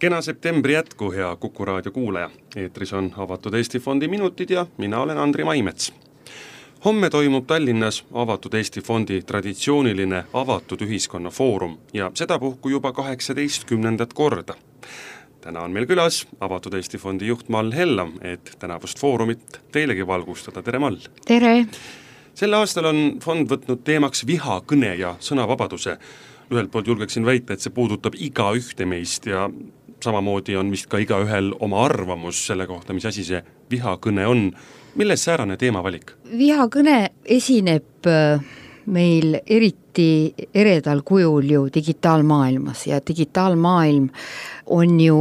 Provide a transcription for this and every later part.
Kena septembri jätku, hea Kuku raadio kuulaja. Eetris on Avatud Eesti Fondi minutid ja mina olen Andri Maimets. Homme toimub Tallinnas Avatud Eesti Fondi traditsiooniline avatud ühiskonna foorum ja sedapuhku juba 18. korda. Täna on meil külas Avatud Eesti Fondi juht Mall Hellam, et tänavust foorumit teilegi valgustada. Tere, Mall! Tere! Selle aastal on fond võtnud teemaks vihakõne ja sõnavabaduse. Ühelt poolt julgeksin väita, et see puudutab iga ühte meist ja samamoodi on vist ka igaühel oma arvamus selle kohta, mis asi see vihakõne on. Milles säärane teemavalik? Vihakõne esineb meil eriti eredal kujul ju digitaalmaailmas ja digitaalmaailm on ju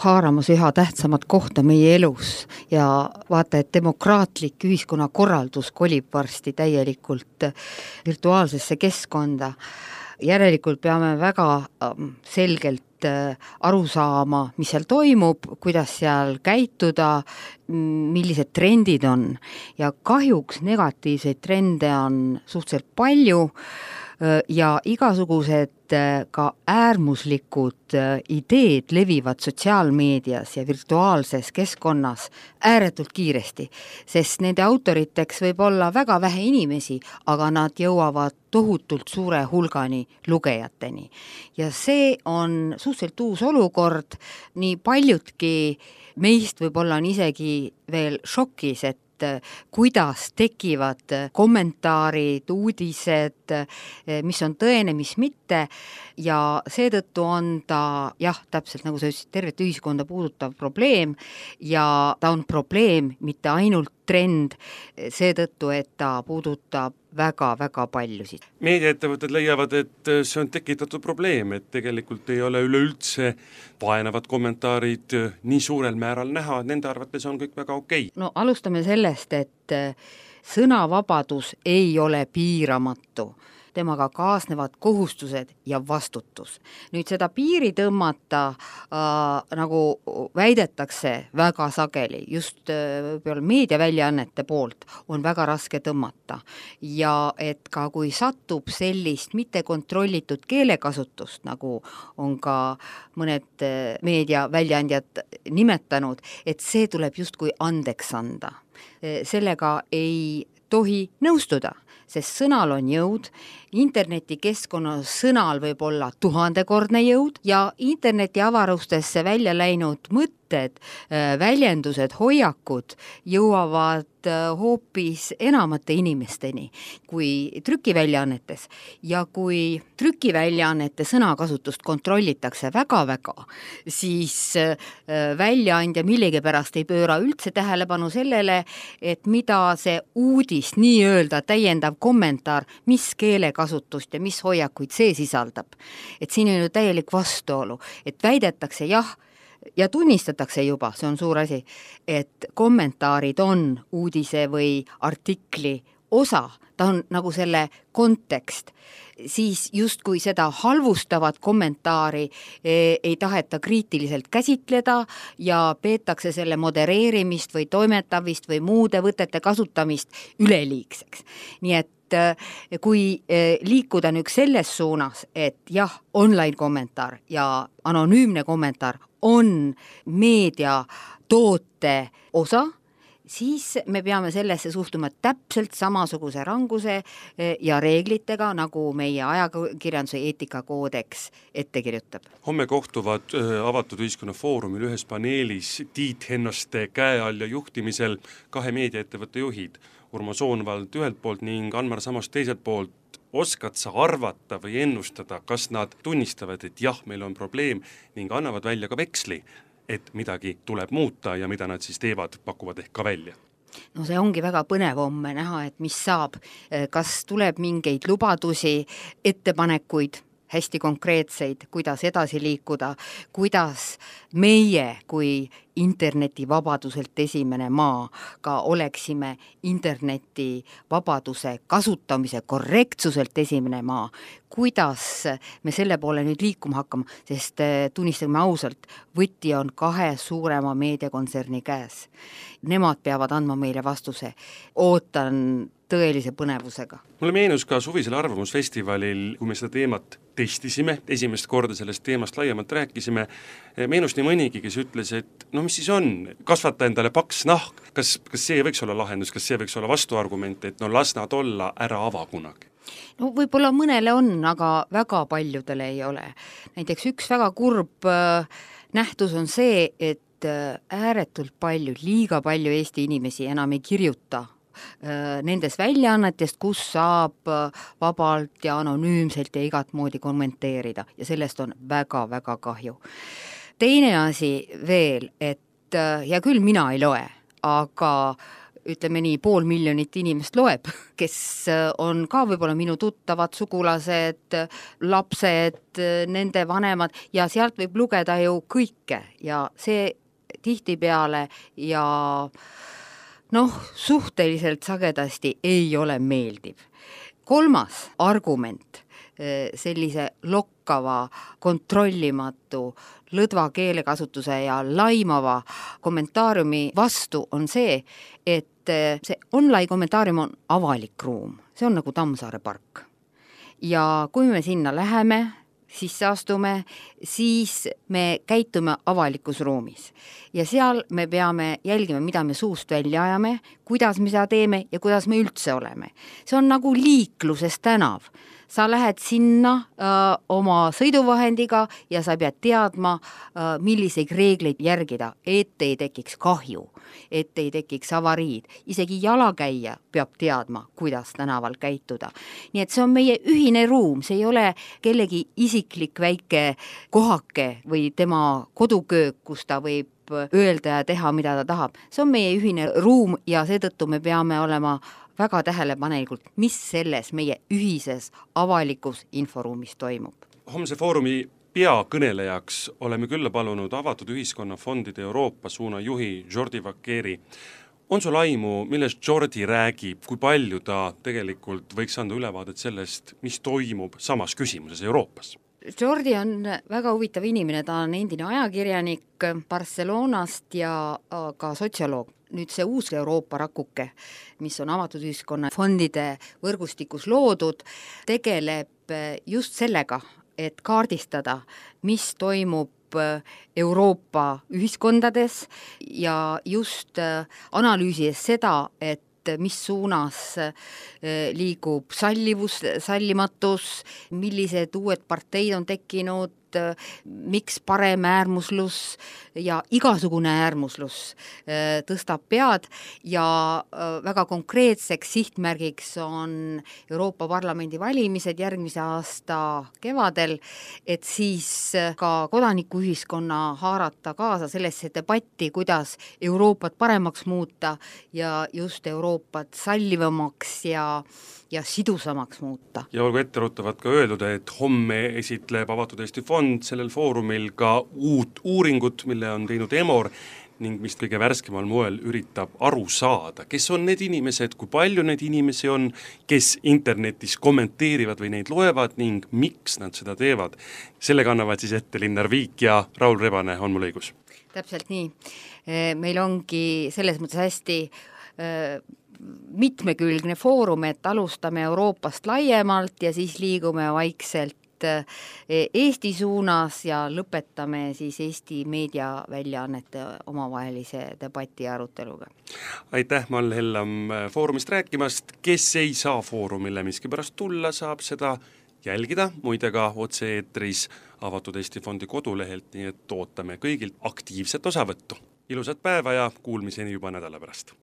haaramas üha tähtsamat kohta meie elus ja vaata, et demokraatlik ühiskonnakorraldus kolib varsti täielikult virtuaalsesse keskkonda. Järelikult peame väga selgelt aru saama, mis seal toimub, kuidas seal käituda, millised trendid on. Ja kahjuks negatiivseid trende on suhteliselt palju ja igasugused ka äärmuslikud ideed levivad sotsiaalmeedias ja virtuaalses keskkonnas ääretult kiiresti, sest nende autoriteks võib olla väga vähe inimesi, aga nad jõuavad tohutult suure hulgani lugejateni. Ja see on suhteliselt uus olukord, nii paljudki meist võib-olla on isegi veel šokis, et kuidas tekivad kommentaarid, uudised, mis on tõene, mis mitte ja seetõttu on ta, täpselt nagu sa ütlesid, tervet ühiskonda puudutav probleem ja ta on probleem, mitte ainult trend, seetõttu, et ta puudutab väga-väga paljusid. Meediaettevõtted leiavad, et see on tekitatud probleem, et tegelikult ei ole üleüldse vaenavad kommentaarid nii suurel määral näha, nende arvates on kõik väga okei. No alustame sellest, et sõnavabadus ei ole piiramatu. Temaga kaasnevad kohustused ja vastutus. Nüüd seda piiri tõmmata, nagu väidetakse väga sageli, just meediaväljaannete poolt, on väga raske tõmmata. Ja et ka kui satub sellist mitte kontrollitud keelekasutust, nagu on ka mõned meediaväljaandjad nimetanud, et see tuleb justkui andeks anda. Sellega ei tohi nõustuda, sest sõnal on jõud, internetikeskkonnas sõnal võib olla 1000-kordne jõud ja interneti avarustesse välja läinud mõtted, väljendused, hoiakud jõuavad hoopis enamate inimesteni kui trükiväljaannetes. Ja kui trükiväljaannete sõnakasutust kontrollitakse väga-väga, siis väljaandja millegipärast ei pööra üldse tähelepanu sellele, et mida see uudis, nii-öelda täiendav kommentaar, mis keelekasutust ja mis hoiakuid see sisaldab. Et siin on ju täielik vastuolu, et väidetakse ja tunnistatakse juba, see on suur asi, et kommentaarid on uudise või artikli osa, ta on nagu selle kontekst, siis justkui seda halvustavat kommentaari ei taheta kriitiliselt käsitleda ja peetakse selle modereerimist või toimetavist või muude võtete kasutamist üleliigseks. Nii et kui liikuda nüüd selles suunas, et online kommentaar ja anonüümne kommentaar on meedia toote osa, siis me peame sellesse suhtuma täpselt samasuguse ranguse ja reeglitega, nagu meie ajakirjanduse eetikakoodeks ette kirjutab. Homme kohtuvad Avatud ühiskonna foorumil ühes paneelis Tiit Hennoste käe all ja juhtimisel 2 meediaettevõtte juhid, Urmo Soonvald ühelt poolt ning Anmar Samost teiselt poolt. Oskad sa arvata või ennustada, kas nad tunnistavad, et meil on probleem ning annavad välja ka veksli, et midagi tuleb muuta ja mida nad siis teevad, pakuvad ehk ka välja? No see ongi väga põnev homme näha, et mis saab, kas tuleb mingeid lubadusi, ettepanekuid, hästi konkreetseid, kuidas edasi liikuda, kuidas meie kui internetivabaduselt esimene maa ka oleksime internetivabaduse kasutamise korrektsuselt esimene maa, kuidas me selle poole nüüd liikuma hakkama, sest tunnistame ausalt, võti on 2 suurema meediakontserni käes. Nemad peavad andma meile vastuse. Ootan tõelise põnevusega. Mulle meenus ka suvisel arvamusfestivalil, kui me seda teemat testisime, esimest korda sellest teemast laiemalt rääkisime, meenus nii mõnigi, kes ütles, et no mis siis on, kasvata endale paks nahk, kas see võiks olla lahendus, kas see võiks olla vastuargument, et no las nad olla, ära ava kunagi? No võib-olla mõnele on, aga väga paljudele ei ole. Näiteks üks väga kurb nähtus on see, et ääretult palju, liiga palju Eesti inimesi enam ei kirjuta nendes väljaannetest, kus saab vabalt ja anonüümselt ja igat moodi kommenteerida ja sellest on väga-väga kahju. Teine asi veel, et ja küll mina ei loe, aga ütleme nii, 500 000 inimest loeb, kes on ka võib-olla minu tuttavad, sugulased, lapsed, nende vanemad ja sealt võib lugeda ju kõike ja see tihtipeale ja suhteliselt sagedasti ei ole meeldiv. Kolmas argument sellise lokkava, kontrollimatu, lõdva keelekasutuse ja laimava kommentaariumi vastu on see, et see online kommentaarium on avalik ruum. See on nagu Tammsaare park. Ja kui me sinna läheme, sisse astume, siis me käitume avalikus ruumis. Ja seal me peame jälgima, mida me suust välja ajame, kuidas me seda teeme ja kuidas me üldse oleme. See on nagu liikluses tänav. Sa lähed sinna oma sõiduvahendiga ja sa pead teadma, milliseid reegleid järgida, et ei tekiks kahju, et ei tekiks avariid. Isegi jalakäija peab teadma, kuidas tänaval käituda. Nii et see on meie ühine ruum, see ei ole kellegi isiklik väike kohake või tema koduköök, kus ta võib öelda ja teha, mida ta tahab. See on meie ühine ruum ja seetõttu me peame olema väga tähelepanelikult, mis selles meie ühises avalikus inforuumis toimub. Homse foorumi peakõnelejaks oleme külla palunud Avatud Ühiskonna Fondide Euroopa suuna juhi Jordi Vaqueri. On sul aimu, millest Jordi räägib, kui palju ta tegelikult võiks anda ülevaadet sellest, mis toimub samas küsimuses Euroopas? Jordi on väga huvitav inimene, ta on endine ajakirjanik Barcelonast ja ka sotsioloog. Nüüd see uus Euroopa rakuke, mis on Avatud Ühiskonna Fondide võrgustikus loodud, tegeleb just sellega, et kaardistada, mis toimub Euroopa ühiskondades ja just analüüsides seda, et mis suunas liigub sallivus, sallimatus, millised uued parteid on tekkinud, miks parem äärmuslus ja igasugune äärmuslus tõstab pead ja väga konkreetseks sihtmärgiks on Euroopa Parlamendi valimised järgmise aasta kevadel, et siis ka kodanikuühiskonna haarata kaasa sellesse debatti, kuidas Euroopat paremaks muuta ja just Euroopat sallivamaks ja sidusamaks muuta. Ja olgu etteruttavad ka öeldud, et homme esitleb Avatud Eesti Fond sellel foorumil ka uut uuringut, mille on teinud EMOR ning mis kõige värskemal moel üritab aru saada, kes on need inimesed, kui palju neid inimesi on, kes internetis kommenteerivad või neid loevad ning miks nad seda teevad. Sellega annavad siis ette Linnar Viik ja Raul Rebane, on mul õigus? Täpselt nii. Meil ongi selles mõttes hästi mitmekülgne foorum, et alustame Euroopast laiemalt ja siis liigume vaikselt Eesti suunas ja lõpetame siis Eesti meediaväljaannete omavahelise debati aruteluga. Aitäh, Mall Hellam foorumist rääkimast. Kes ei saa foorumile miskipärast tulla, saab seda jälgida, muide ka otse-eetris Avatud Eesti Fondi kodulehelt, nii et ootame kõigilt aktiivset osavõttu. Ilusat päeva ja kuulmiseni juba nädala pärast.